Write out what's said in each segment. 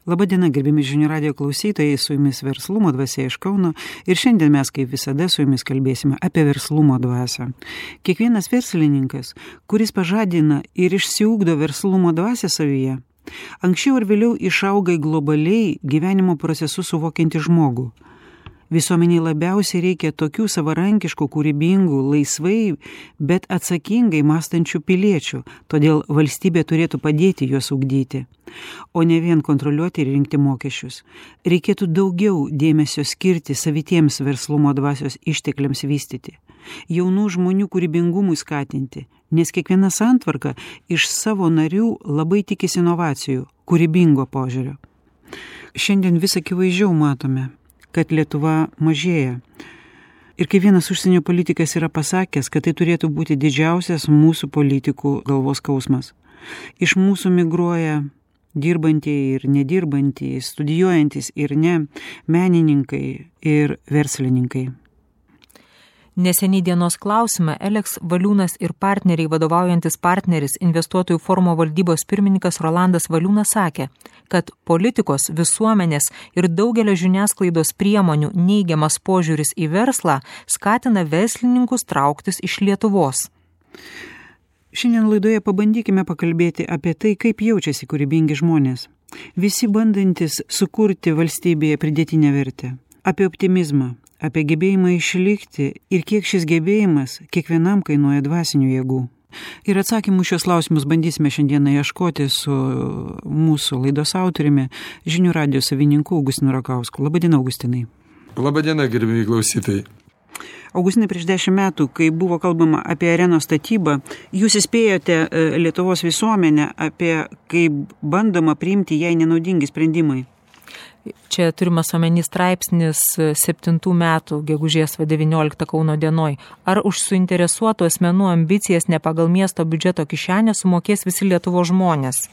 Labadiena, gerbiami žinių radijo klausytojai, su jumis Verslumo dvasia iš Kauno ir šiandien mes kaip visada su jumis kalbėsime apie verslumo dvasią. Kiekvienas verslininkas, kuris pažadina ir išsiugdo verslumo dvasią savyje, anksčiau ir vėliau išauga į globaliai gyvenimo procesus suvokiantį žmogų. Visuomeniai labiausiai reikia tokių savarankiškų, kūrybingų, laisvai, bet atsakingai mąstančių piliečių, todėl valstybė turėtų padėti juos ugdyti, o ne vien kontroliuoti ir rinkti mokesčius. Reikėtų daugiau dėmesio skirti savitiems verslumo dvasios ištekliams vystyti, jaunų žmonių kūrybingumui skatinti, nes kiekviena santvarka iš savo narių labai tikisi inovacijų, kūrybingo požiūrio. Šiandien vis akivaizdžiau matome, kad Lietuva mažėja. Ir kaip vienas užsienio politikas yra pasakęs, kad tai turėtų būti didžiausias mūsų politikų galvos skausmas. Iš mūsų migruoja dirbantieji ir nedirbantieji, studijuojantys ir ne, menininkai ir verslininkai. Neseniai dienos klausime Eleks Valiūnas ir partneriai vadovaujantis partneris investuotojų forumo valdybos pirmininkas Rolandas Valiūnas sakė, kad politikos, visuomenės ir daugelio žiniasklaidos priemonių neigiamas požiūris į verslą skatina verslininkus trauktis iš Lietuvos. Šiandien laidoje pabandykime pakalbėti apie tai, kaip jaučiasi kūrybingi žmonės. Visi bandantis sukurti valstybėje pridėtinę vertę. Apie optimizmą, apie gebėjimą išlikti ir kiek šis gebėjimas kiekvienam kainuoja dvasinių jėgų. Ir atsakymų šios klausimus bandysime šiandieną ieškoti su mūsų laidos autoriumi, žinių radijo savininku Augustinu Rakausku. Labadiena, Augustinai. Labadiena, gerbimi klausytojai. Augustinai, prieš 10 metų, kai buvo kalbama apie arenos statybą, jūs įspėjote Lietuvos visuomenę apie kaip bandoma priimti jai nenaudingi sprendimai. Čia turimas omeny straipsnis 7 metų gegužės 19 Kauno dienoj. Ar už suinteresuotų asmenų ambicijas ne pagal miesto biudžeto kišenę sumokės visi Lietuvos žmonės?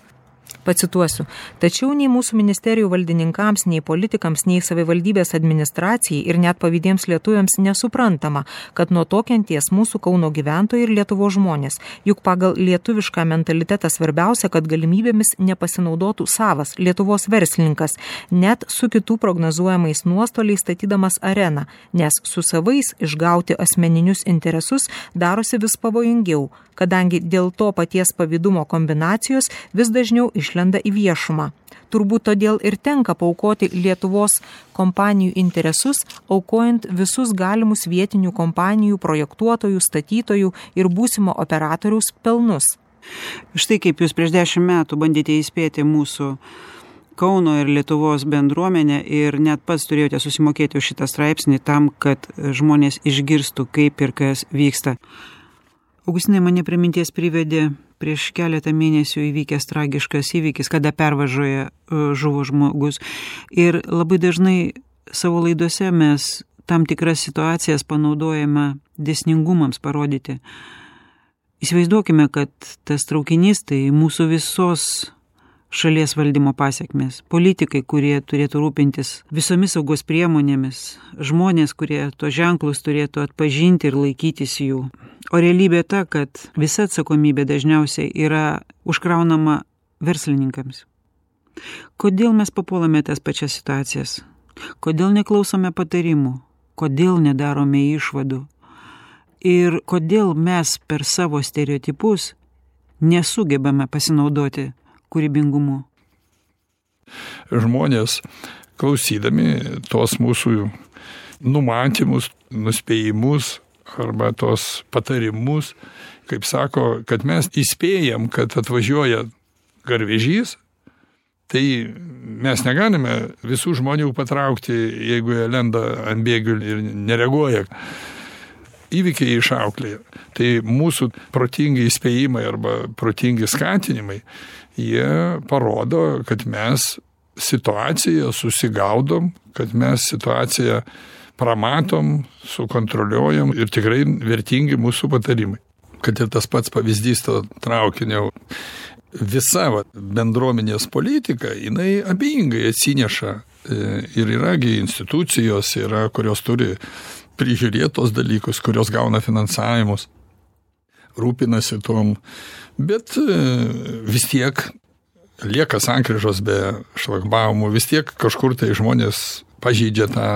Pacituosiu. Tačiau nei mūsų ministerijų valdininkams, nei politikams, nei savivaldybės administracijai ir net pavydiems lietuviams nesuprantama, kad nuo to kenties mūsų Kauno gyventojai ir Lietuvos žmonės. Juk pagal lietuvišką mentalitetą svarbiausia, kad galimybėmis nepasinaudotų savas Lietuvos verslininkas, net su kitų prognozuojamais nuostoliais statydamas areną, nes su savais išgauti asmeninius interesus darosi vis pavojingiau, kadangi dėl to paties pavydumo kombinacijos vis dažniau išlenda į viešumą. Turbūt todėl ir tenka paaukoti Lietuvos kompanijų interesus, aukojant visus galimus vietinių kompanijų, projektuotojų, statytojų ir būsimo operatoriaus pelnus. Štai kaip jūs prieš 10 metų bandėte įspėti mūsų Kauno ir Lietuvos bendruomenę ir net pats turėjote susimokėti už šitą straipsnį tam, kad žmonės išgirstų, kaip ir kas vyksta. Augustinai, mane prie minties privedė prieš keletą mėnesių įvykęs tragiškas įvykis, kada pervažoje žuvo žmogus. Ir labai dažnai savo laidose mes tam tikras situacijas panaudojame dėsningumams parodyti. Įsivaizduokime, kad tas traukinys tai mūsų visos šalies valdymo pasiekmes, politikai, kurie turėtų rūpintis visomis saugos priemonėmis, žmonės, kurie to ženklus turėtų atpažinti ir laikytis jų. O realybė ta, kad visa atsakomybė dažniausiai yra užkraunama verslininkams. Kodėl mes papuolame tas pačias situacijas? Kodėl neklausome patarimų? Kodėl nedarome išvadų? Ir kodėl mes per savo stereotipus nesugebame pasinaudoti kūrybingumu? Žmonės, klausydami tos mūsų numatymus, nuspėjimus arba tos patarimus, kaip sako, kad mes įspėjam, kad atvažiuoja garvežys, tai mes negalime visų žmonių patraukti, jeigu jie lenda ant bėgių ir nereaguoja. Įvykiai išauklėja. Tai mūsų protingi įspėjimai arba protingi skatinimai, jie parodo, kad mes situaciją susigaudom, kad mes situaciją pramatom, sukontroliuojam ir tikrai vertingi mūsų patarimai. Kad ir tas pats pavyzdys to traukinio, visa bendruomenės politika, jinai abejingai atsineša ir yragi institucijos, yra, kurios turi prižiūrėti tos dalykus, kurios gauna finansavimus, rūpinasi tom, bet vis tiek lieka sankryžos be šlagbaumų, vis tiek kažkur tai žmonės pažeidžia tą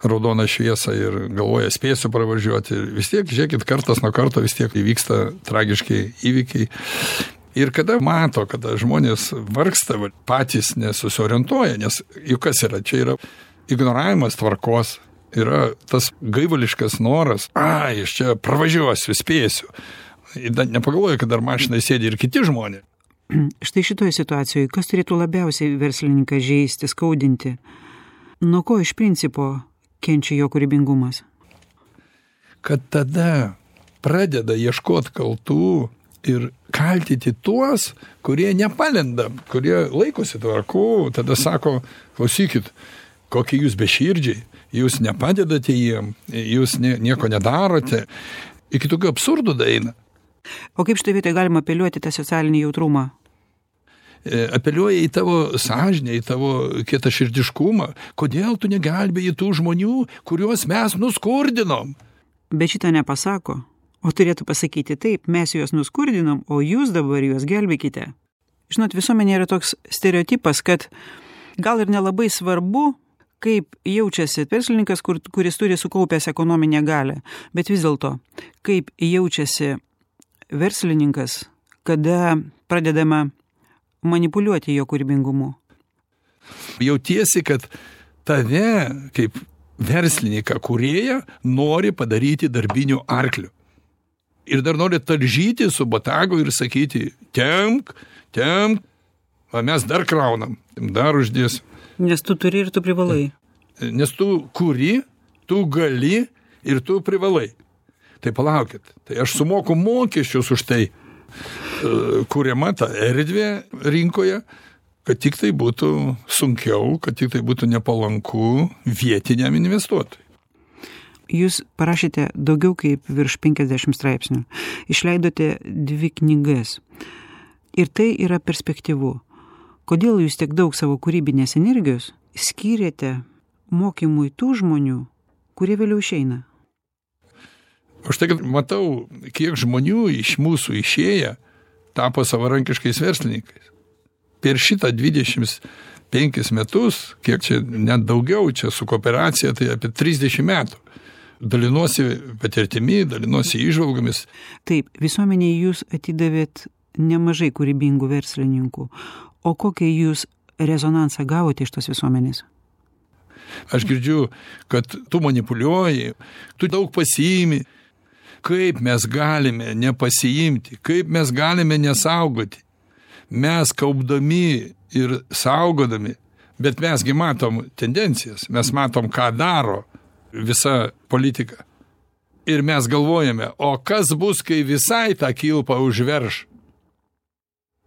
raudoną šviesą ir galvoja, spėsiu pravažiuoti. Vis tiek, žiūrėkit, kartas nuo karto vis tiek įvyksta tragiški įvykiai. Ir kada mato, kada žmonės vargsta, patys nesusiorientuoja, nes juk kas yra, čia yra ignoravimas tvarkos, yra tas gaivališkas noras, aš čia pravažiuosiu, spėsiu. Nepagalvoju, kad dar mašinai sėdi ir kiti žmonės. Štai šitoje situacijoje, kas turėtų labiausiai verslininką žeisti, skaudinti? Nuo ko iš principo kenčia jo kūrybingumas? Kad tada pradeda ieškoti kaltų ir kaltyti tuos, kurie nepalenda, kurie laikosi tvarkų, tada sako, klausykit, kokie jūs beširdžiai, jūs nepadedate jiem, jūs nieko nedarote. Iki tokių absurdų daeina. O kaip štai vietoj galima apeliuoti tą socialinį jautrumą? Apeliuoja į tavo sąžinę, į tavo kietaširdiškumą. Kodėl tu negelbėji tų žmonių, kuriuos mes nuskurdinom? Bet šitą nepasako. O turėtų pasakyti taip, mes juos nuskurdinom, o jūs dabar juos gelbėkite. Žinot, visuomenė yra toks stereotipas, kad gal ir nelabai svarbu, kaip jaučiasi verslininkas, kuris turi sukaupęs ekonominę galią. Bet vis dėlto, kaip jaučiasi verslininkas, kada pradedama manipuliuoti jo kūrybingumu. Jautiesi, kad tave, kaip verslininką, kūrėją, nori padaryti darbiniu arkliu. Ir dar nori talžyti su botagu ir sakyti, temk, o mes dar kraunam, dar uždėsim. Nes tu turi ir tu privalai. Nes tu kuri, tu gali ir tu privalai. Tai palaukit, tai aš sumoku mokesčius už tai, kuriama ta erdvė rinkoje, kad tik tai būtų sunkiau, kad tik tai būtų nepalanku vietiniam investuotojui. Jūs parašėte daugiau kaip virš 50 straipsnių. Išleidote 2 knygas. Ir tai yra perspektyvu. Kodėl jūs tiek daug savo kūrybinės energijos skyrėte mokymui tų žmonių, kurie vėliau išeina? Už tai, kad matau, kiek žmonių iš mūsų išėję tapo savarankiškais verslininkais. Per šitą 25 metus, kiek čia net daugiau, čia su kooperacija, tai apie 30 metų. Dalinuosi patirtimi, dalinuosi įžvalgomis. Taip, visuomenėje jūs atidavėt nemažai kūrybingų verslininkų. O kokią jūs rezonansą gavote iš tos visuomenės? Aš girdžiu, kad tu manipuliuoji, tu daug pasiimi. Kaip mes galime nepasiimti, kaip mes galime nesaugoti. Mes kaupdami ir saugodami, bet mesgi matom tendencijas, mes matom, ką daro visa politika. Ir mes galvojame, o kas bus, kai visai tą kilpą užverš?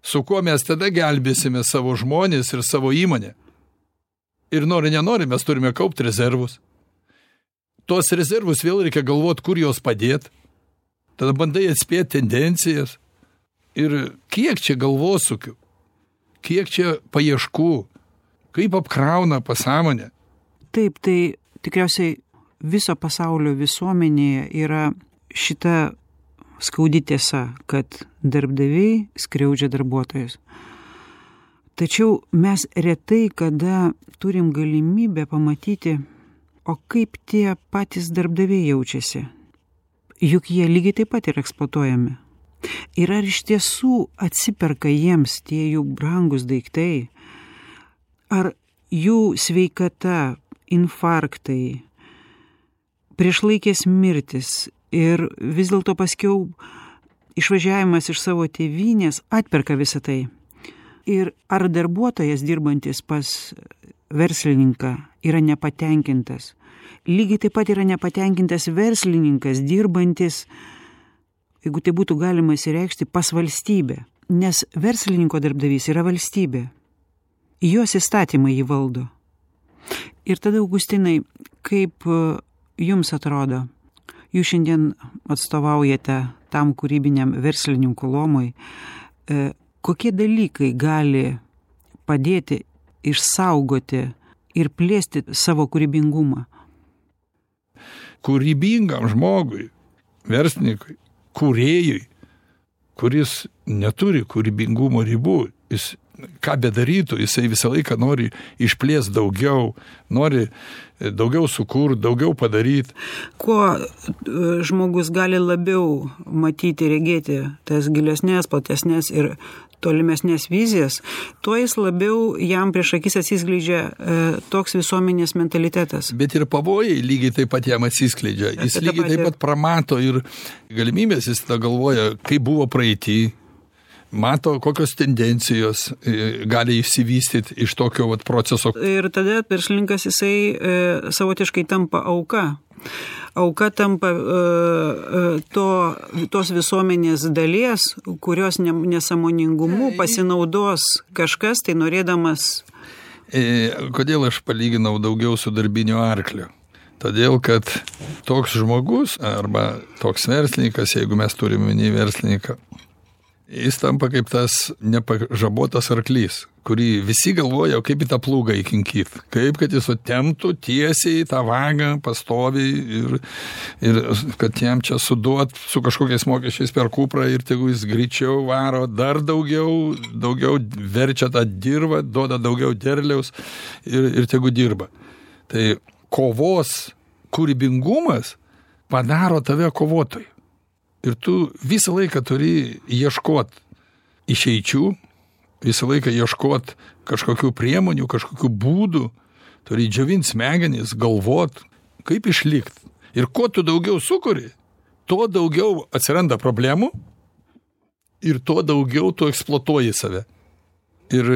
Su kuo mes tada gelbėsime savo žmonės ir savo įmonę? Ir nori, nenori, mes turime kaupti rezervus. Tuos rezervus vėl reikia galvoti, kur juos padėti. Tada bandai atspėti tendencijas. Ir kiek čia galvosukių, kiek čia paieškų, kaip apkrauna pasąmonę. Taip, tai tikriausiai viso pasaulio visuomenėje yra šita skaudi tiesa, kad darbdaviai skriaudžia darbuotojus. Tačiau mes retai kada turim galimybę pamatyti, o kaip tie patys darbdaviai jaučiasi. Juk jie lygiai taip pat yra eksploatuojami. Ir ar iš tiesų atsiperka jiems tie jų brangus daiktai? Ar jų sveikata, infarktai, priešlaikės mirtis ir vis dėlto paskiau išvažiavimas iš savo tėvynės atperka visą tai? Ir ar darbuotojas dirbantis pas verslininką yra nepatenkintas? Lygiai taip pat yra nepatenkintas verslininkas dirbantis, jeigu tai būtų galima įsireikšti, pas valstybę. Nes verslininko darbdavys yra valstybė. Jos įstatymai jį valdo. Ir tada, Augustinai, kaip jums atrodo, jūs šiandien atstovaujate tam kūrybiniam verslininkų luomui, kokie dalykai gali padėti išsaugoti ir plėsti savo kūrybingumą? Kūrybingam žmogui, verslininkui, kūrėjui, kuris neturi kūrybingumo ribų, jis ką bedarytų, jisai visą laiką nori išplėsti daugiau, nori daugiau sukurti, daugiau padaryti. Kuo žmogus gali labiau matyti, regėti tas gilesnės, platesnės ir tolimesnės vizijas, tuo jis labiau jam prieš akis atsiskleidžia toks visuomenės mentalitetas. Bet ir pavojai lygiai taip pat jam atsiskleidžia. Jis lygiai taip pat pramato ir galimybės, jis tada galvoja, kaip buvo praeitį, mato, kokios tendencijos gali išsivystyti iš tokio proceso. Ir tada verslininkas jisai savotiškai tampa auka. Auka tampa tos visuomenės dalies, kurios nesąmoningumu pasinaudos kažkas, tai norėdamas. Kodėl aš palyginau daugiau su darbiniu arkliu? Todėl, kad toks žmogus arba toks verslininkas, jeigu mes turime minį verslininką, jis tampa kaip tas nepažabotas arklys, kurį visi galvoja, kaip į tą plūgą įkinkyti, kaip kad jis temptų tiesiai tą vagą pastoviai ir kad jam čia suduot su kažkokiais mokesčiais per kuprą ir tegu jis greičiau varo, dar daugiau verčia tą dirvą, duoda daugiau derliaus ir tegu dirba. Tai kovos kūrybingumas padaro tave kovotojų. Ir tu visą laiką turi ieškoti išeičių, visą laiką ieškoti kažkokių priemonių, kažkokių būdų, turi džiovinti smegenis, galvot, kaip išlikti. Ir kuo tu daugiau sukuri, tuo daugiau atsiranda problemų ir tuo daugiau tu eksploatuoji save. Ir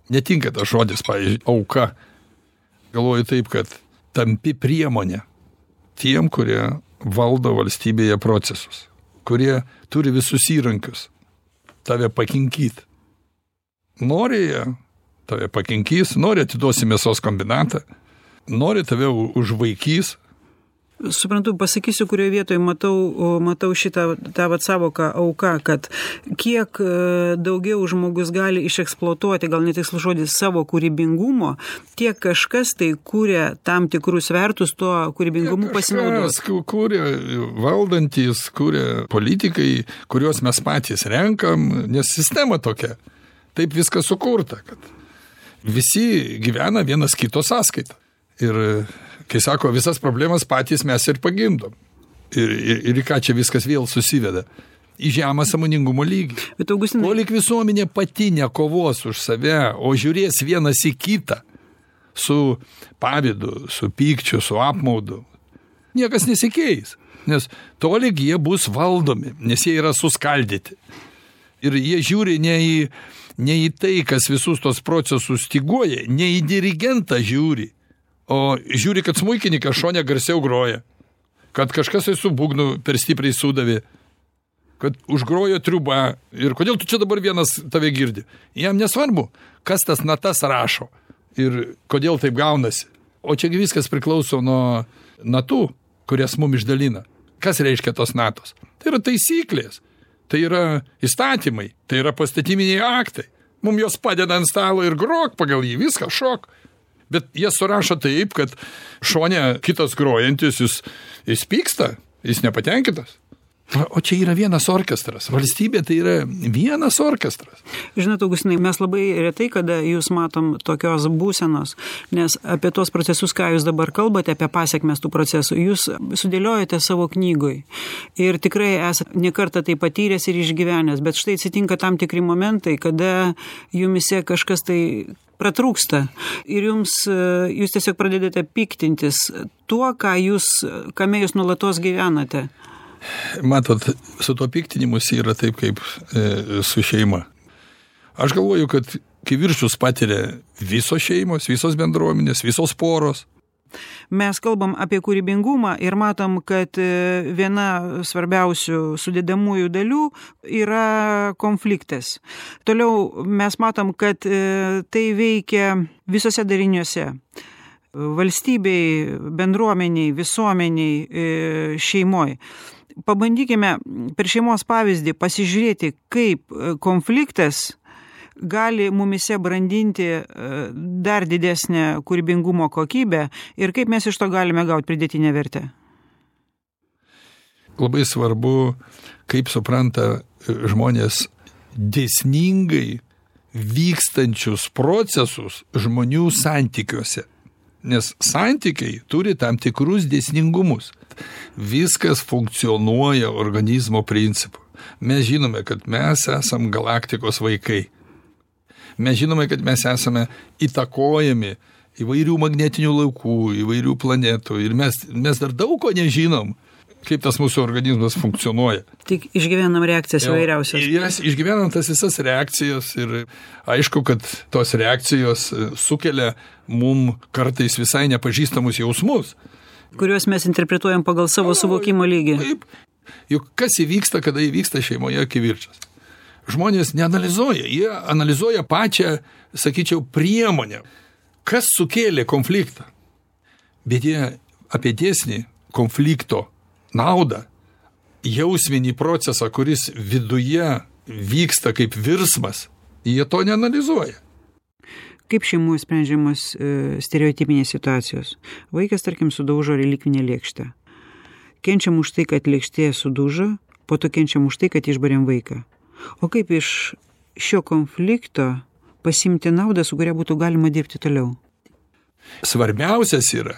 netinka tas žodis, pavyzdžiui, auka. Galvoju taip, kad tampi priemonė tiem, kurie valdo valstybėje procesus, kurie turi visus įrankius tave pakinkyti. Nori jie, tave pakinkys, nori atiduosi mėsos kombinatą, nori tave užvaikys. Suprantu, pasakysiu, kurioje vietoje matau šitą tą savoką auka, kad kiek daugiau žmogus gali išeksploatuoti, gal netikslus žodis, savo kūrybingumo, tiek kažkas tai kūrė tam tikrus svertus tuo kūrybingumu pasinaudos. Kūrė valdantys, kūrė politikai, kuriuos mes patys renkam, nes sistema tokia. Taip viskas sukurta, kad visi gyvena vienas kito sąskaitą. Ir kai sako, visas problemas patys mes ir pagimdom. Ir ką čia viskas vėl susiveda? Į žemą sąmoningumo lygį. Bet Augustinai, Kolik visuomenė pati nekovos už save, o žiūrės vienas į kitą su pavydu, su pykčiu, su apmaudu, niekas nesikeis. Nes tolyg jie bus valdomi, nes jie yra suskaldyti. Ir jie žiūri ne į tai, kas visus tos procesus styguoja, ne į dirigentą žiūri, o žiūri, kad smuikininkas šone garsiau groja, kad kažkas su būgnu per stipriai sudavė, kad užgrojo triuba ir kodėl tu čia dabar vienas tave girdi. Jam nesvarbu, kas tas natas rašo ir kodėl taip gaunasi. O čia viskas priklauso nuo natų, kurias mum išdalina. Kas reiškia tos natos? Tai yra taisyklės, tai yra įstatymai, tai yra pastatyminiai aktai. Mum jos padeda ant stalo ir grok pagal jį, viską šok. Bet jie surašo taip, kad šone kitas grojantis, jis pyksta, jis nepatenkintas. O čia yra vienas orkestras. Valstybė tai yra vienas orkestras. Žinot, Augustinai, mes labai retai, kada jūs matom tokios būsenos, nes apie tos procesus, ką jūs dabar kalbate, apie pasiekmes tų procesų, jūs sudėliojate savo knygoj. Ir tikrai esate nekartą tai patyręs ir išgyvenęs, bet štai atsitinka tam tikri momentai, kada jumise kažkas tai pratrūksta ir jūs tiesiog pradedate piktintis tuo, kame jūs nuolatos gyvenate. Matot, su tuo piktinimus yra taip kaip su šeima. Aš galvoju, kad kivirčius patiria visos šeimos, visos bendruomenės, visos poros. Mes kalbam apie kūrybingumą ir matom, kad viena svarbiausių sudedamųjų dalių yra konfliktas. Toliau mes matom, kad tai veikia visose dariniuose. Valstybei, bendruomeniai, visuomeniai, šeimoj. Pabandykime per šeimos pavyzdį pasižiūrėti, kaip konfliktas gali mumise brandinti dar didesnę kūrybingumo kokybę ir kaip mes iš to galime gauti pridėtinę vertę. Labai svarbu, kaip supranta žmonės dėsningai vykstančius procesus žmonių santykiuose. Nes santykiai turi tam tikrus dėsningumus. Viskas funkcionuoja organizmo principu. Mes žinome, kad mes esam galaktikos vaikai. Mes žinome, kad mes esame įtakojami įvairių magnetinių laukų, įvairių planetų. Ir mes dar daug ko nežinom, kaip tas mūsų organizmas funkcionuoja. Tik išgyvenam reakcijas įvairiausias. Ir išgyvenam tas visas reakcijas ir aišku, kad tos reakcijos sukelia mum kartais visai nepažįstamus jausmus. Kuriuos mes interpretuojam pagal savo suvokimo lygį. Taip. Juk kas įvyksta, kada įvyksta šeimoje kivirčas? Žmonės neanalizuoja, jie analizuoja pačią, sakyčiau, priemonę. Kas sukėlė konfliktą? Bet jie apie dėsnį konflikto naudą, jausminį procesą, kuris viduje vyksta kaip virsmas, jie to neanalizuoja. Kaip šeimų sprendžiamos stereotipinės situacijos? Vaikas, tarkim, sudaužo relikvinę lėkštę. Kenčiam už tai, kad lėkštė sudužo, po to kenčiam už tai, kad išbarėm vaiką. O kaip iš šio konflikto pasimti naudą, su kuria būtų galima dirbti toliau? Svarbiausias yra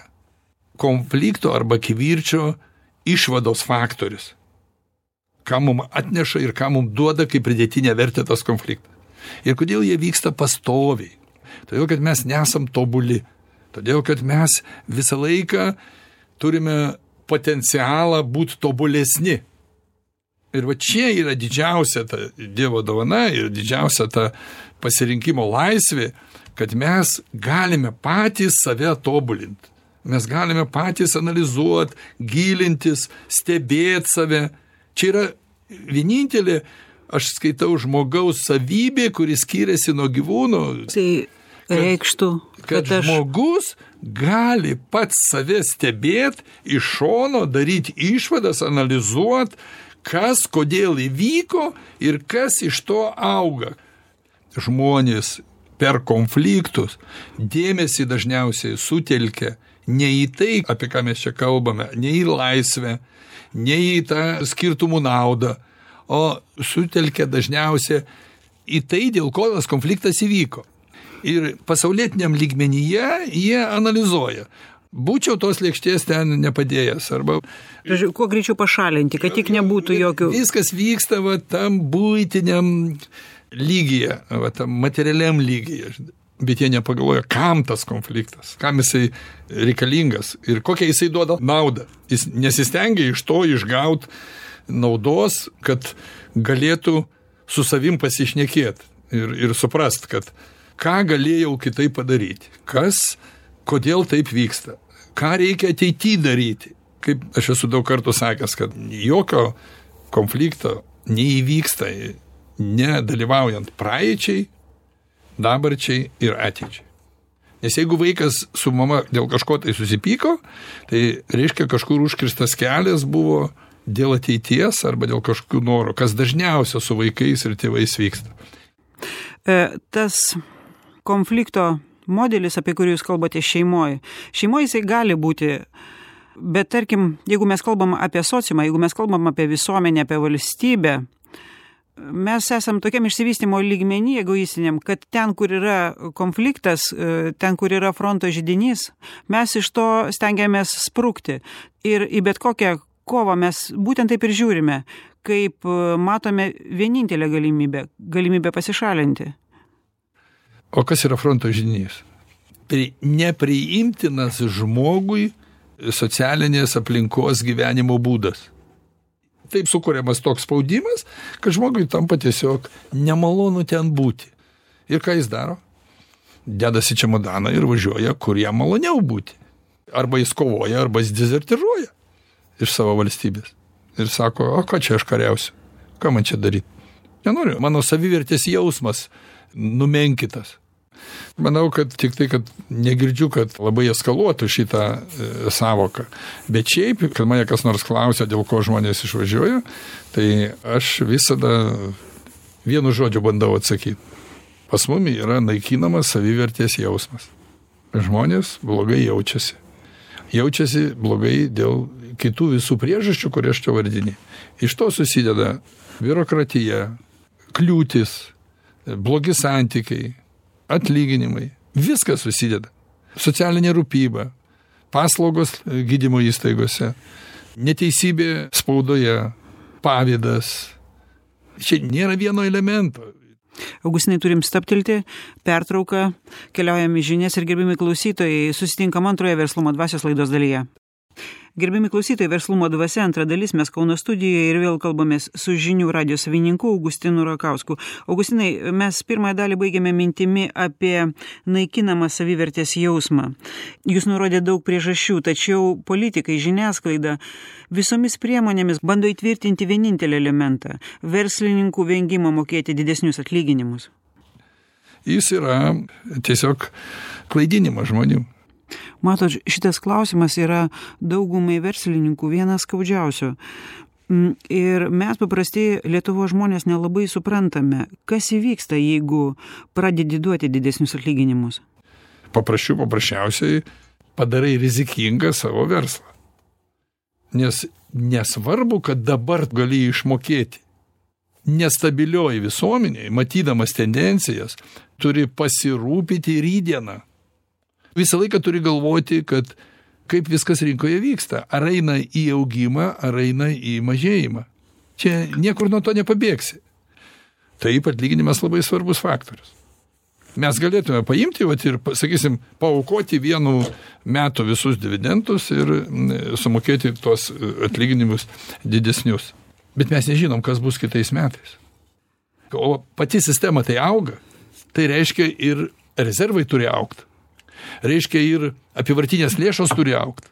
konflikto arba kivirčio išvados faktorius. Ką mums atneša ir ką mums duoda kaip pridėtinę vertę tas konfliktas. Ir kodėl jie vyksta pastoviai. Todėl, kad mes nesam tobuli. Todėl, kad mes visą laiką turime potencialą būti tobulesni. Ir va čia yra didžiausia ta Dievo dovana ir didžiausia ta pasirinkimo laisvė, kad mes galime patys save tobulinti. Mes galime patys analizuoti, gilintis, stebėti save. Čia yra vienintelė, aš skaitau, žmogaus savybė, kuris skiriasi nuo gyvūnų. Tai reikštų, kad žmogus gali pats save stebėti, iš šono daryti išvadas, analizuoti, kas, kodėl įvyko ir kas iš to auga. Žmonės per konfliktus dėmesį dažniausiai sutelkia ne į tai, apie ką mes čia kalbame, ne į laisvę, ne į tą skirtumų naudą, o sutelkia dažniausiai į tai, dėl ko tas konfliktas įvyko. Ir pasaulietiniam lygmenyje jie analizuoja. Būčiau tos lėkštės ten nepadėjęs. Arba kuo greičiau pašalinti, kad tik nebūtų jokių. Viskas vyksta va, tam buitiniam lygyje, va, tam materialiam lygyje. Bet jie nepagalvoja, kam tas konfliktas, kam jisai reikalingas ir kokią jisai duoda naudą. Jis nesistengia iš to išgauti naudos, kad galėtų su savim pasišnekėti ir suprast, kad ką galėjau kitaip padaryti, kodėl taip vyksta, ką reikia ateityje daryti. Kaip aš esu daug kartų sakęs, kad jokio konflikto neįvyksta nedalyvaujant praeičiai, dabarčiai ir ateičiai. Nes jeigu vaikas su mama dėl kažko tai susipyko, tai reiškia kažkur užkirstas kelias buvo dėl ateities arba dėl kažkokių norų, kas dažniausia su vaikais ir tėvais vyksta. Tas konflikto modelis, apie kurį jūs kalbate šeimoje jisai gali būti, bet tarkim, jeigu mes kalbam apie sociumą, jeigu mes kalbam apie visuomenę, apie valstybę, mes esam tokiam išsivystymo lygmenį egoistiniam, kad ten, kur yra konfliktas, ten, kur yra fronto židinys, mes iš to stengiamės sprukti. Ir į bet kokią kovą mes būtent taip ir žiūrime, kaip matome vienintelę galimybę pasišalinti. O kas yra fronto židinys? Nepriimtinas žmogui socialinės aplinkos gyvenimo būdas. Taip sukuriamas toks spaudimas, kad žmogui tampa tiesiog nemalonu ten būti. Ir ką jis daro? Dedasi čemodaną ir važiuoja, kur jam maloniau būti. Arba jis kovoja, arba jis dezertiruoja iš savo valstybės. Ir sako, o ką čia aš kariausiu? Ką man čia daryti? Nenoriu, mano savivertės jausmas numenkitas. Manau, kad tik tai, kad negirdžiu, kad labai eskaluotų šitą savoką. Bet šiaip, kad mane kas nors klausia, dėl ko žmonės išvažiuoja, tai aš visada vienu žodžiu bandau atsakyti. Pas mumi yra naikinamas savivertės jausmas. Žmonės blogai jaučiasi. Jaučiasi blogai dėl kitų visų priežasčių, kurie aš čia vardinį. Iš to susideda biurokratija, kliūtis, blogi santykiai, atlyginimai, viskas susideda. Socialinė rūpyba, paslaugos gydymo įstaigose, neteisybė spaudoje, pavydas. Čia nėra vieno elemento. Augustinai, turim stabtelti, pertrauką, keliaujame į žinias ir gerbiami klausytojai, susitinkam antroje Verslumo dvasios laidos dalyje. Gerbiami klausytojai, Verslumo dvasia antra dalis, mes Kauno studijoje ir vėl kalbamės su žinių radijo savininku Augustinu Rakausku. Augustinai, mes pirmąją dalį baigėme mintimi apie naikinamą savivertės jausmą. Jūs nurodė daug priežasčių, tačiau politikai, žiniasklaida visomis priemonėmis bando įtvirtinti vienintelį elementą – verslininkų vengimą mokėti didesnius atlyginimus. Jis yra tiesiog klaidinimas žmonių. Matot, šitas klausimas yra daugumai verslininkų vienas skaudžiausių. Ir mes paprasti Lietuvos žmonės nelabai suprantame, kas įvyksta, jeigu pradedi duoti didesnius atlyginimus. Paprasčiausiai padarai rizikingą savo verslą. Nes nesvarbu, kad dabar gali išmokėti. Nestabilioji visuomenėje, matydamas tendencijas, turi pasirūpinti rydieną. Visą laiką turi galvoti, kad kaip viskas rinkoje vyksta. Ar eina į augimą, ar eina į mažėjimą. Čia niekur nuo to nepabėgsi. Taip, atlyginimas labai svarbus faktorius. Mes galėtume paimti ir, sakysim, paaukoti vienu metu visus dividendus ir sumokėti tos atlyginimus didesnius. Bet mes nežinom, kas bus kitais metais. O pati sistema tai auga. Tai reiškia ir rezervai turi augti. Reiškia ir apyvartinės lėšos turi augti.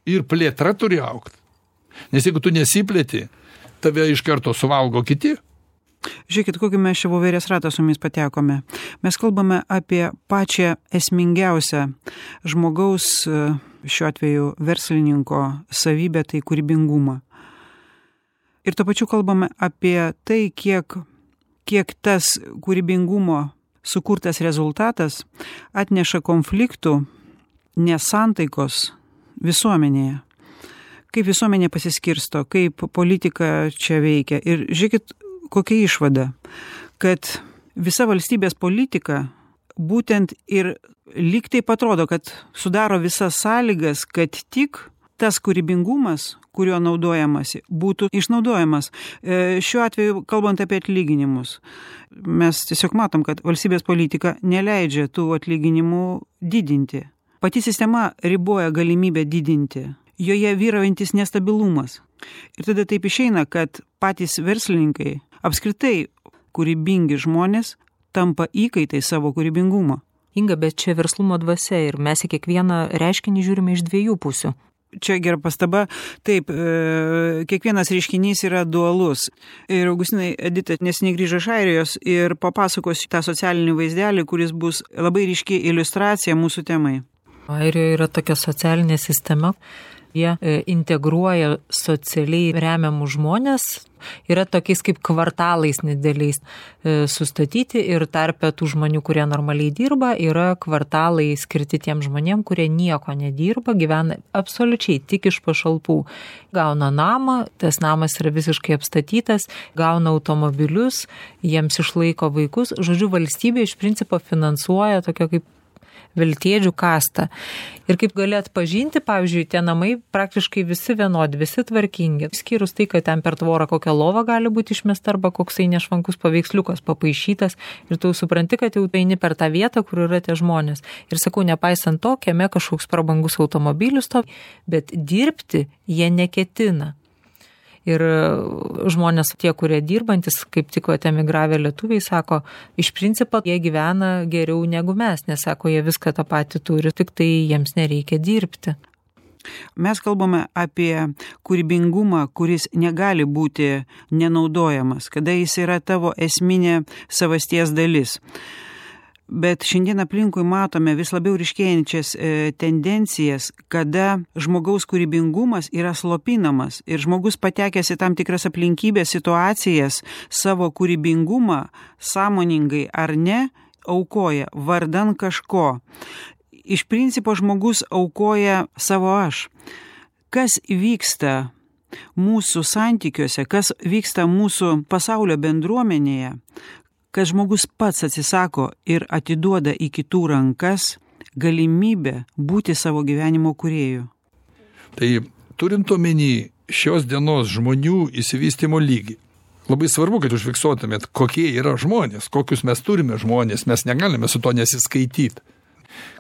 Ir plėtra turi augti. Nes jeigu tu nesiplėti, tave iš karto suvalgo kiti. Žiūrėkit, kokį mes čia voverės ratą su jumis patekome. Mes kalbame apie pačią esmingiausią žmogaus, šiuo atveju verslininko savybę, tai kūrybingumą. Ir tuo pačiu kalbame apie tai, kiek tas kūrybingumo sukurtas rezultatas atneša konfliktų, nesantaikos visuomenėje. Kaip visuomenė pasiskirsto, kaip politika čia veikia. Ir žiūrėkit, kokia išvada, kad visa valstybės politika būtent ir lyg taip atrodo, kad sudaro visas sąlygas, kad tik tas kūrybingumas, kuriuo naudojamasi, būtų išnaudojamas. Šiuo atveju, kalbant apie atlyginimus, mes tiesiog matom, kad valstybės politika neleidžia tų atlyginimų didinti. Pati sistema riboja galimybę didinti. Joje vyraujantis nestabilumas. Ir tada taip išeina, kad patys verslininkai, apskritai kūrybingi žmonės, tampa įkaitai savo kūrybingumo. Inga, bet čia verslumo dvasia ir mes į kiekvieną reiškinį žiūrime iš dviejų pusių. Čia gera pastaba. Taip, kiekvienas reiškinys yra dualus. Ir Augustinai, Edita neseniai grįžo iš Airijos ir papasakos tą socialinį vaizdelį, kuris bus labai ryški iliustracija mūsų temai. Airijoje yra tokia socialinė sistema. Jie integruoja socialiai remiamus žmonės, yra tokiais kaip kvartalais nedėliais sustatyti ir tarpe tų žmonių, kurie normaliai dirba, yra kvartalai skirti tiem žmonėm, kurie nieko nedirba, gyvena absoliučiai tik iš pašalpų. Gauna namą, tas namas yra visiškai apstatytas, gauna automobilius, jiems išlaiko vaikus. Žodžiu, valstybė iš principo finansuoja tokia kaip veltėdžių kastą. Ir kaip gali atpažinti, pavyzdžiui, tie namai praktiškai visi vienodi, visi tvarkingi. Skyrus tai, kad ten per tvorą kokia lova gali būti išmesta arba koksai nešvankus paveiksliukas papaišytas ir tu supranti, kad jau eini per tą vietą, kur yra tie žmonės. Ir sakau, nepaisant to, kieme kažkoks prabangus automobilis to, bet dirbti jie neketina. Ir žmonės, tie, kurie dirbantis, kaip tik emigravę lietuviai, sako, iš principo jie gyvena geriau negu mes, nes sako, jie viską tą patį turi, tik tai jiems nereikia dirbti. Mes kalbame apie kūrybingumą, kuris negali būti nenaudojamas, kada jis yra tavo esminė savasties dalis. Bet šiandien aplinkui matome vis labiau ryškėjančias tendencijas, kada žmogaus kūrybingumas yra slopinamas ir žmogus patekęs į tam tikras aplinkybės situacijas savo kūrybingumą sąmoningai ar ne aukoja vardan kažko. Iš principo žmogus aukoja savo aš. Kas vyksta mūsų santykiuose, kas vyksta mūsų pasaulio bendruomenėje, kad žmogus pats atsisako ir atiduoda į kitų rankas galimybę būti savo gyvenimo kūrėju. Tai turint omeny šios dienos žmonių išsivystymo lygį, labai svarbu, kad užfiksuotumėt, kokie yra žmonės, kokius mes turime žmonės, mes negalime su to nesiskaityti.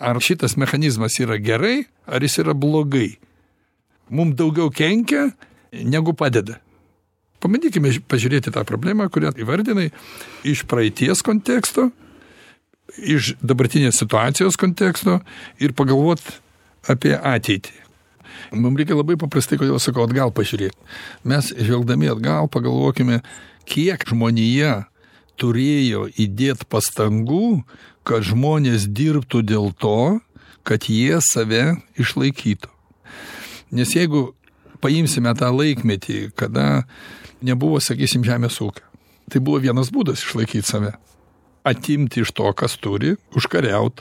Ar šitas mechanizmas yra gerai, ar jis yra blogai. Mums daugiau kenkia, negu padeda. Pabandykime pažiūrėti tą problemą, kurią įvardinai iš praeities konteksto, iš dabartinės situacijos konteksto ir pagalvot apie ateitį. Mums reikia labai paprastai, kodėl sakau, atgal pažiūrėti. Mes žvelgdami atgal pagalvokime, kiek žmonija turėjo įdėti pastangų, kad žmonės dirbtų dėl to, kad jie save išlaikytų. Nes jeigu paimsime tą laikmetį, kada nebuvo, sakysim, žemės ūkio, tai buvo vienas būdas išlaikyti save. Atimti iš to, kas turi, užkariaut,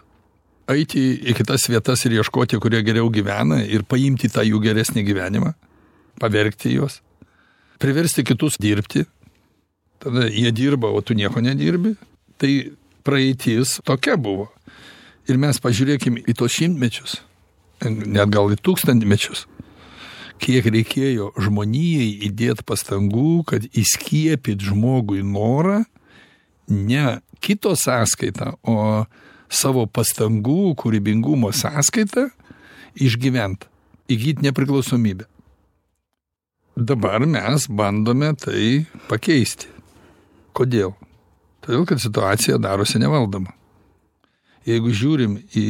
eiti į kitas vietas ir ieškoti, kurie geriau gyvena ir paimti tą jų geresnį gyvenimą, pavergti juos, priversti kitus dirbti, tada jie dirba, o tu nieko nedirbi, tai praeitis tokia buvo. Ir mes pažiūrėkim į tos šimtmečius, net gal į tūkstantmečius, kiek reikėjo žmonijai įdėti pastangų, kad įskiepyt žmogui norą ne kito sąskaitą, o savo pastangų, kūrybingumo sąskaitą išgyventi, įgyti nepriklausomybę. Dabar mes bandome tai pakeisti. Kodėl? Todėl, kad situacija darosi nevaldoma. Jeigu žiūrim į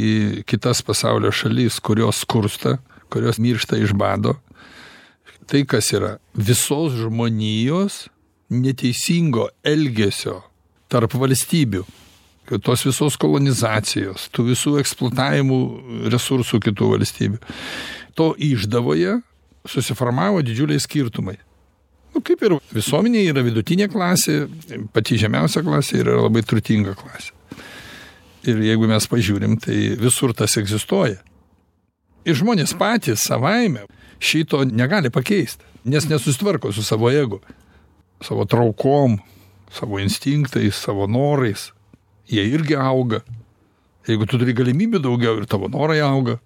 kitas pasaulio šalis, kurios skursta, kurios miršta iš bado, tai kas yra visos žmonijos neteisingo elgesio tarp valstybių, tos visos kolonizacijos, tų visų eksploatavimų resursų kitų valstybių. To išdavoje susiformavo didžiuliai skirtumai. Kaip ir visuomenė yra vidutinė klasė, pati žemiausia klasė yra labai turtinga klasė. Ir jeigu mes pažiūrim, tai visur tas egzistuoja. Ir žmonės patys savaime šito negali pakeisti, nes nesusitvarko su savo ego, savo traukom, savo instinktais, savo norais. Jie irgi auga. Jeigu tu turi galimybių daugiau ir tavo norai auga.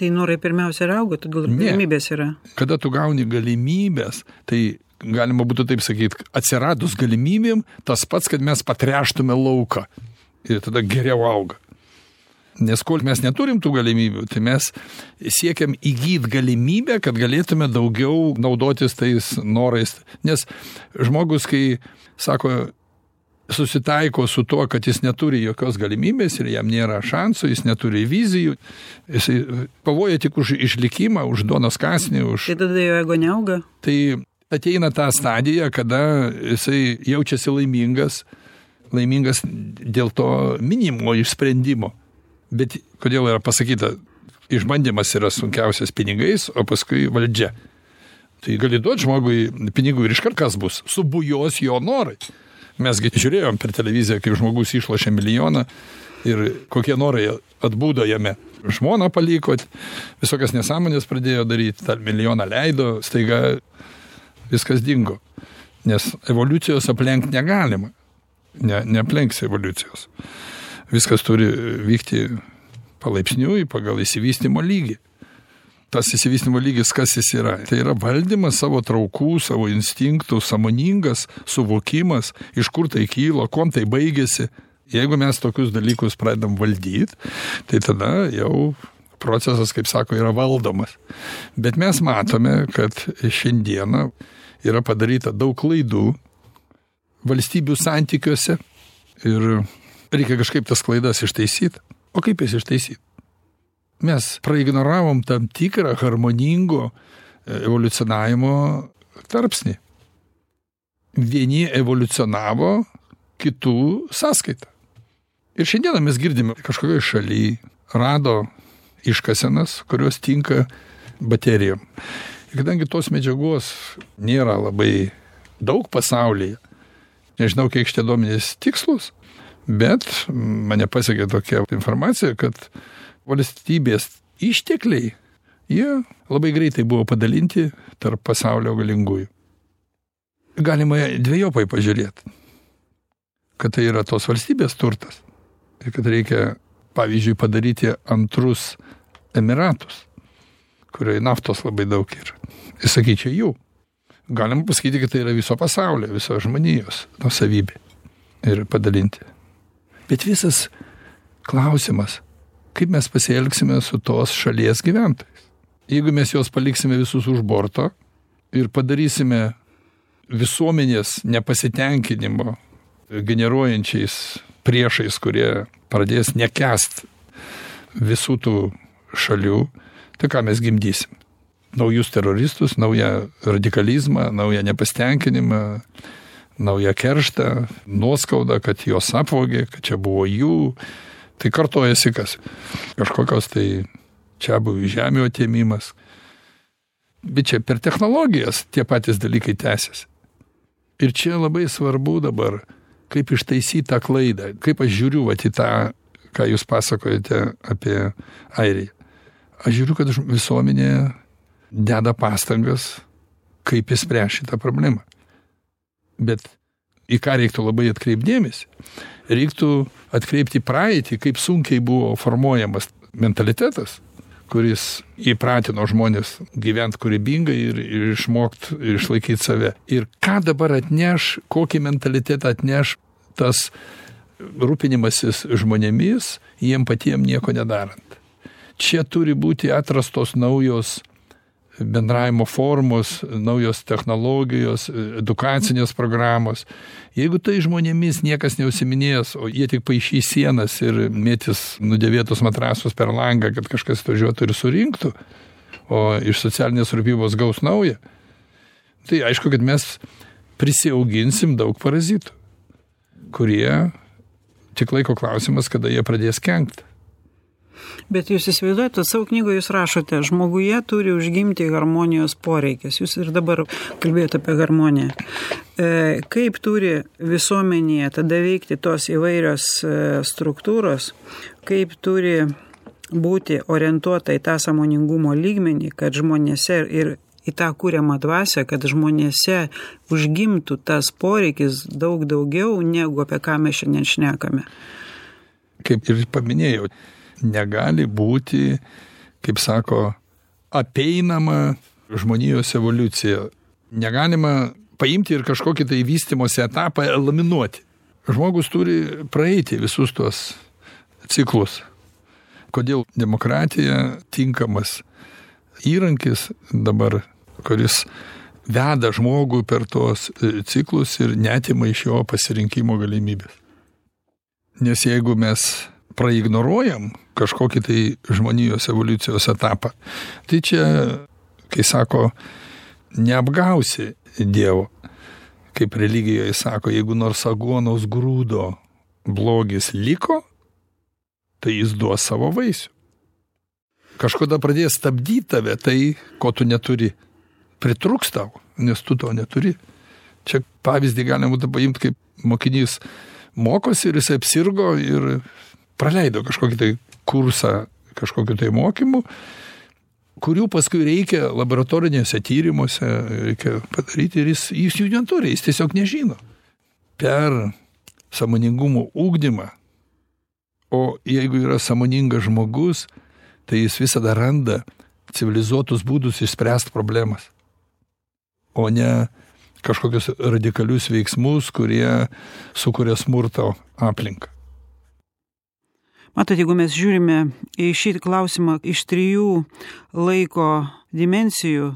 Tai norai pirmiausia ir auga, todėl galimybės yra. Kada tu gauni galimybės, tai galima būtų taip sakyti, atsiradus galimybėm, tas pats, kad mes patreštume lauką. Ir tada geriau auga. Nes kol mes neturim tų galimybių, tai mes siekiam įgyti galimybę, kad galėtume daugiau naudotis tais norais. Nes žmogus, kai sako, susitaiko su tuo, kad jis neturi jokios galimybės ir jam nėra šansų, jis neturi vizijų, jis pavoja tik už išlikimą, už duonos kąsnį, už... Tai tada jo ego neauga? Tai ateina ta stadija, kada jisai jaučiasi laimingas dėl to minimo išsprendimo. Bet kodėl yra pasakyta, išbandymas yra sunkiausias pinigais, o paskui valdžia. Tai gali duoti žmogui pinigų ir iškart kas bus, subujos jo norai. Mesgi žiūrėjom per televiziją, kaip žmogus išlošė milijoną ir kokie norai atbūdo jame. Žmoną paliko, visokias nesąmonės pradėjo daryti, tą milijoną leido, staiga viskas dingo. Nes evoliucijos aplenkti negalima. Neaplenks evoliucijos. Viskas turi vykti palaipsniui pagal išsivystymo lygį. Tas išsivystymo lygis, kas jis yra? Tai yra valdymas savo traukų, savo instinktų, sąmoningas suvokimas, iš kur tai kyla, kuom tai baigėsi. Jeigu mes tokius dalykus pradedam valdyti, tai tada jau procesas, kaip sako, yra valdomas. Bet mes matome, kad šiandieną yra padaryta daug klaidų valstybių santykiuose ir reikia kažkaip tas klaidas ištaisyti. O kaip jas ištaisyti? Mes praignoravom tam tikrą harmoningo evoliucionavimo tarpsnį. Vieni evoliucionavo kitų sąskaitą. Ir šiandieną mes girdime kažkokioje šalyje rado iškasenas, kurios tinka baterijom. Ir kadangi tos medžiagos nėra labai daug pasaulyje, nežinau, kiek šitie duomenys tikslus, bet mane pasiekė tokia informacija, kad valstybės ištekliai, jie labai greitai buvo padalinti tarp pasaulio galingųjų. Galima dvejopai pažiūrėti. kad tai yra tos valstybės turtas. Ir kad reikia, pavyzdžiui, padaryti antrus Emiratus, kurioje naftos labai daug yra. Ir sakyčiau, jų. Galima pasakyti, kad tai yra viso pasaulio, viso žmonijos nuosavybė. Ir padalinti. Bet visas klausimas, kaip mes pasielgsime su tos šalies gyventojais. Jeigu mes juos paliksime visus už borto ir padarysime visuomenės nepasitenkinimo generuojančiais priešais, kurie pradės nekęst visų tų šalių, tai ką mes gimdysim? Naujus teroristus, naują radikalizmą, naują nepasitenkinimą, naują kerštą, nuoskaudą, kad jos apvogė, kad čia buvo jų. Tai kartojasi kas? Kažkokios tai čia buvo žemių atėmimas. Bet čia per technologijas tie patys dalykai tęsiasi. Ir čia labai svarbu dabar, kaip ištaisyti tą klaidą, kaip aš žiūriu vat į tą, ką jūs pasakojate apie Airiją. Aš žiūriu, kad visuomenė deda pastangas, kaip išspręsti šitą problemą. Bet į ką reiktų labai atkreipdėmėsi? Reiktų atkreipti praeitį, kaip sunkiai buvo formuojamas mentalitetas, kuris įpratino žmonės gyventi kūrybingai ir išmokti ir išlaikyti save. Ir ką dabar atneš, kokį mentalitetą atneš tas rūpinimasis žmonėmis, jiem patiem nieko nedarant. Čia turi būti atrastos naujos bendravimo formos, naujos technologijos, edukacinės programos. Jeigu tai žmonėmis niekas neužsiminės, o jie tik paišys sienas ir mėtys nudėvėtus matrasus per langą, kad kažkas atvažiuotų ir surinktų, o iš socialinės rūpybos gaus naują, tai aišku, kad mes prisiauginsim daug parazitų, kurie tik laiko klausimas, kada jie pradės kenkt. Bet jūs įsivaizduojate, savo knygoje jūs rašote, žmoguje turi užgimti harmonijos poreikis. Jūs ir dabar kalbėjote apie harmoniją. Kaip turi visuomenėje tada veikti tos įvairios struktūros, kaip turi būti orientuota į tą sąmoningumo lygmenį, kad žmonėse ir į tą kūriamą dvasią, kad žmonėse užgimtų tas poreikis daug daugiau, negu apie ką mes šiandien šnekame. Kaip ir paminėjau, negali būti, kaip sako, apeinama žmonijos evoliucija. Negalima paimti ir kažkokį tai vystymosi etapą eliminuoti. Žmogus turi praeiti visus tuos ciklus. Kodėl demokratija tinkamas įrankis dabar, kuris veda žmogų per tuos ciklus ir neatima iš jo pasirinkimo galimybės. Nes jeigu mes praignoruojam kažkokį tai žmonijos evoliucijos etapą, tai čia, kai sako, neapgausi Dievo. Kaip religijoje sako, jeigu nors aguonos grūdo blogis liko, tai jis duos savo vaisių. Kažkada pradės stabdyti tave tai, ko tu neturi. Pritruks tau, nes tu to neturi. Čia pavyzdį galima būtų paimti, kaip mokinys mokosi ir jis apsirgo ir praleido kažkokį tai kursą, kažkokiu tai mokymu, kurių paskui reikia laboratorinėse tyrimuose, reikia padaryti ir jis jų neturi, jis tiesiog nežino. Per sąmoningumo ugdymą, o jeigu yra sąmoningas žmogus, tai jis visada randa civilizuotus būdus išspręsti problemas, o ne kažkokius radikalius veiksmus, kurie sukuria smurto aplinką. Matot, jeigu mes žiūrime į šį klausimą iš 3 laiko dimensijų,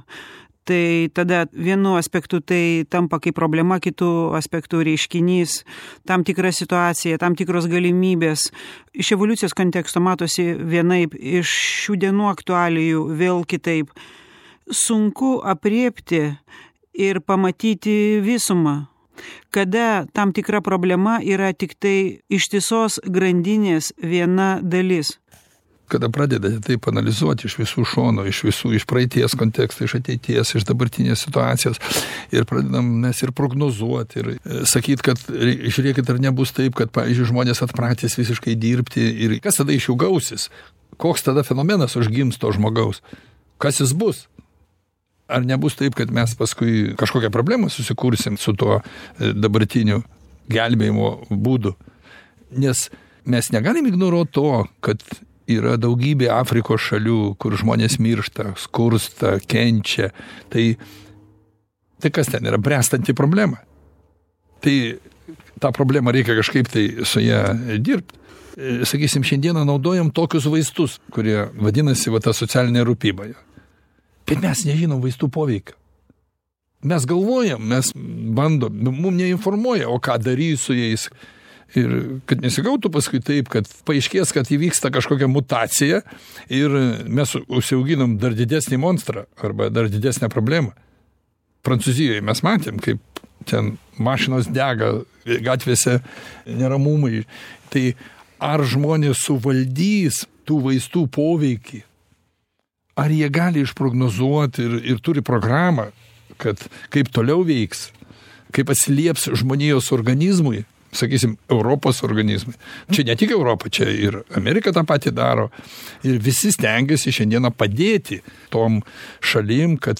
tai tada vienu aspektu tai tampa kaip problema, kitų aspektų reiškinys, tam tikra situacija, tam tikros galimybės. Iš evoliucijos konteksto matosi vienaip, iš šių dienų aktualijų vėl kitaip. Sunku aprėpti ir pamatyti visumą. Kada tam tikra problema yra tik tai ištisos grandinės viena dalis. Kada pradedate taip analizuoti iš visų šonų, iš praeities konteksto, iš ateities, iš dabartinės situacijos ir pradedam mes ir prognozuoti ir sakyti, kad žiūrėkit, ar nebus taip, kad, pavyzdžiui, žmonės atpratys visiškai dirbti ir kas tada iš jų gausis? Koks tada fenomenas užgims to žmogaus? Kas jis bus? Ar nebus taip, kad mes paskui kažkokią problemą susikursim su tuo dabartiniu gelbėjimo būdų. Nes mes negalim ignoruoti to, kad yra daugybė Afrikos šalių, kur žmonės miršta, skursta, kenčia. Tai kas ten yra? Bręstanti problema. Tai tą problemą reikia kažkaip tai su ją dirbti. Sakysim, šiandieną naudojam tokius vaistus, kurie vadinasi ta socialinė rūpyba. Bet mes nežinom vaistų poveikio. Mes galvojam, mes bandom, mums neinformuoja, o ką daryti su jais. Ir kad nesigautų paskui taip, kad paaiškės, kad įvyksta kažkokia mutacija ir mes užsiauginam dar didesnį monstrą arba dar didesnę problemą. Prancūzijoje mes matėm, kaip ten mašinos dega, gatvėse neramumai. Tai ar žmonės suvaldys tų vaistų poveikį? Ar jie gali išprognozuoti ir turi programą, kad kaip toliau veiks, kaip atsilieps žmonijos organizmui, sakysim, Europos organizmui. Čia ne tik Europa, čia ir Amerika tą patį daro. Ir visi stengiasi šiandieną padėti tom šalim, kad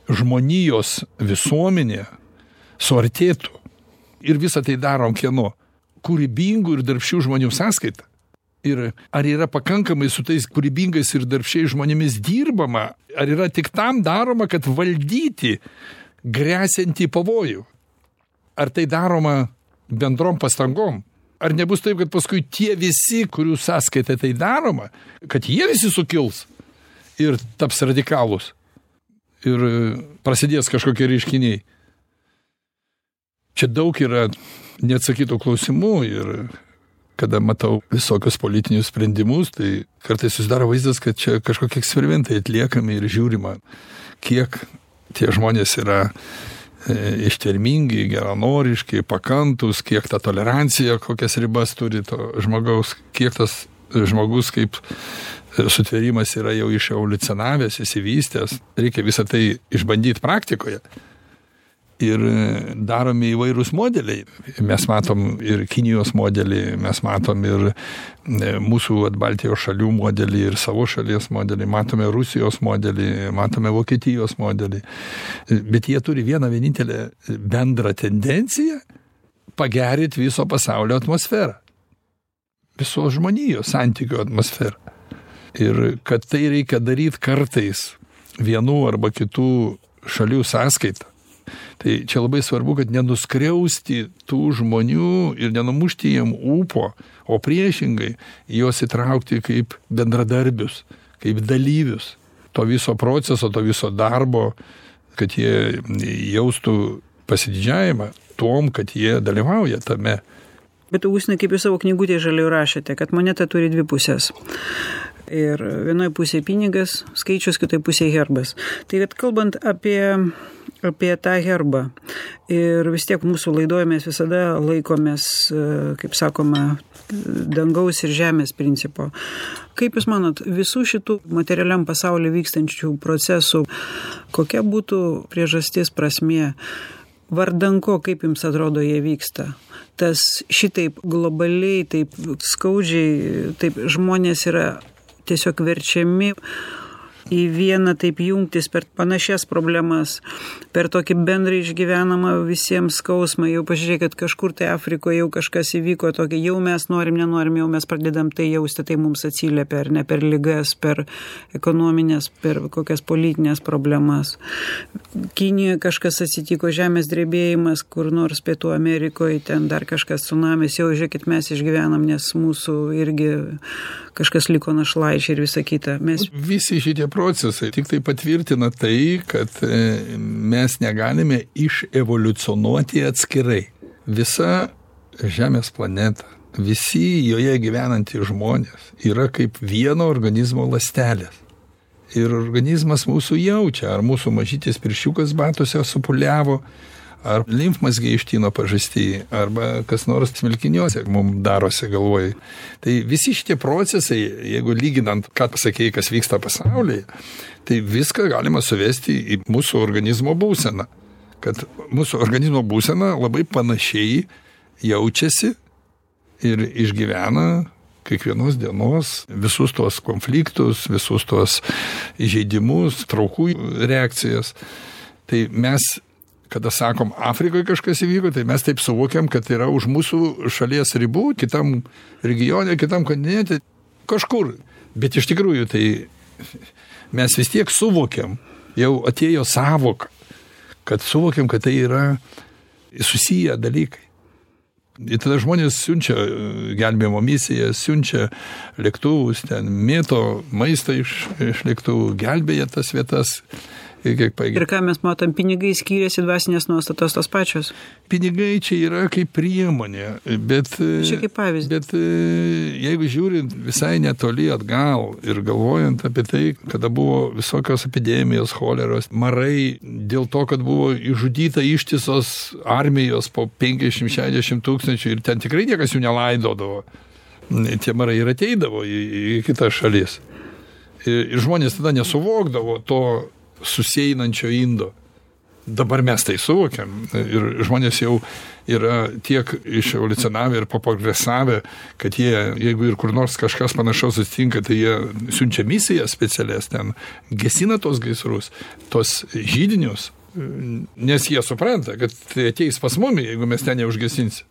žmonijos visuomenė suartėtų. Ir visą tai darom kieno? Kūrybingų ir darbščių žmonių sąskaita. Ir ar yra pakankamai su tais kūrybingais ir darbščiais žmonėmis dirbama, ar yra tik tam daroma, kad valdyti gresiantį pavojų? Ar tai daroma bendrom pastangom? Ar nebus taip, kad paskui tie visi, kurių sąskaita tai daroma, kad jie visi sukils ir taps radikalus ir prasidės kažkokie reiškiniai? Čia daug yra neatsakytų klausimų ir kada matau visokius politinius sprendimus, tai kartais susidaro vaizdas, kad čia kažkokie eksperimentai atliekami ir žiūrima, kiek tie žmonės yra ištvermingi, geranoriški, pakantus, kiek ta tolerancija, kokias ribas turi to žmogaus, kiek tas žmogus kaip sutvėrimas yra jau iševoliucionavęs, įsivystęs. Reikia visą tai išbandyti praktikoje. Ir daromi įvairūs modeliai. Mes matom ir Kinijos modelį, mes matom ir mūsų Baltijos šalių modelį, ir savo šalies modelį, matome Rusijos modelį, matome Vokietijos modelį. Bet jie turi vieną vienintelę bendrą tendenciją pagerinti viso pasaulio atmosferą. Visos žmonijos santykių atmosferą. Ir kad tai reikia daryti kartais vienų arba kitų šalių sąskaitą. Tai čia labai svarbu, kad nenuskriausti tų žmonių ir nenumušti jiem ūpo, o priešingai juos įtraukti kaip bendradarbius, kaip dalyvius to viso proceso, to viso darbo, kad jie jaustų pasididžiavimą tom, kad jie dalyvauja tame. Bet Augustinai, kaip jūs savo knygutėje žaliai rašėte, kad moneta turi dvi pusės. Ir vienoje pusėje pinigas, skaičius, kitoje pusėje herbas. Tai kad kalbant apie tą herbą, ir vis tiek mūsų laidoje mes visada laikomės, kaip sakoma, dangaus ir žemės principo. Kaip jūs manot, visų šitų materialiam pasaulyje vykstančių procesų, kokia būtų priežastis, prasmė, vardan ko, kaip jums atrodo, jie vyksta? Tas šitaip globaliai, taip skaudžiai, taip žmonės yra tiesiog verčiami į vieną taip jungtis per panašias problemas, per tokį bendrą išgyvenamą visiems skausmą. Jau pažiūrėkit, kažkur tai Afrikoje jau kažkas įvyko tokį, jau mes nenorim, jau mes pradedam tai jausti, tai mums atsiliepia, ar ne, per ligas, per ekonominės, per kokias politinės problemas. Kinijoje kažkas atsitiko, žemės drebėjimas, kur nors Pietų Amerikoje, ten dar kažkas tsunamis, jau žiūrėkit, mes išgyvenam, nes mūsų irgi kažkas liko našlaičiai ir visa kita. Visi šitie procesai tik tai patvirtina tai, kad mes negalime iševoliucionuoti atskirai. Visa Žemės planeta, visi joje gyvenantys žmonės yra kaip vieno organizmo ląstelės. Ir organizmas mūsų jaučia, ar mūsų mažytis pirščiukas batuose supuliavo, ar limfmazgiai ištino pažastį, arba kas nors smilkiniuose mums darosi galvoj. Tai visi šitie procesai, jeigu lyginant, ką pasakėjai, kas vyksta pasaulyje, tai viską galima suvesti į mūsų organizmo būseną. Kad mūsų organizmo būsena labai panašiai jaučiasi ir išgyvena kiekvienos dienos visus tuos konfliktus, visus tuos įžeidimus, traukų reakcijas. Tai mes kada sakom, Afrikoje kažkas įvyko, tai mes taip suvokiam, kad yra už mūsų šalies ribų, kitam regione, kitam kontinente, kažkur. Bet iš tikrųjų, tai mes vis tiek suvokiam, jau atėjo savoka, kad suvokiam, kad tai yra susiję dalykai. Ir tada žmonės siunčia gelbėjimo misiją, siunčia lėktuvus, ten mėto maistą iš lėktuvų, gelbėja tas vietas. Ir ką mes matom, pinigai skiriasi, dvasinės nuostatos tos pačios? Pinigai čia yra kaip priemonė, bet, čia kaip pavyzdys. Bet jeigu žiūrint visai netoli atgal ir galvojant apie tai, kada buvo visokios epidemijos, choleros, marai, dėl to, kad buvo išžudyta ištisos armijos po 50-60 tūkstančių ir ten tikrai niekas jų nelaidodavo. Tie marai ir ateidavo į kitas šalis. Ir žmonės tada nesuvokdavo to susieinančio indo. Dabar mes tai suvokiam ir žmonės jau yra tiek iševoliucionavę ir paprogresavę, kad jie, jeigu ir kur nors kažkas panašaus atsitinka, tai jie siunčia misijas specialias ten, gesina tos gaisrus, tos židinius, nes jie supranta, kad tai ateis pas mumį, jeigu mes ten neužgesinsim.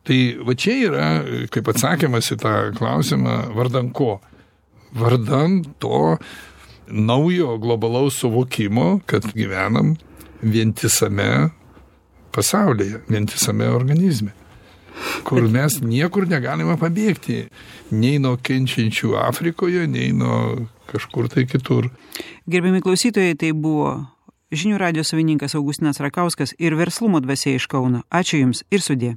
Tai va čia yra, kaip atsakymas į tą klausimą, vardan ko? Vardan to naujo globalaus suvokimo, kad gyvenam vientisame pasaulyje, vientisame organizme, kur mes niekur negalime pabėgti, nei nuo kenčiančių Afrikoje, nei nuo kažkur tai kitur. Gerbiami klausytojai, tai buvo Žinių radijo savininkas Augustinas Rakauskas ir Verslumo dvasia iš Kauno. Ačiū Jums ir sudie.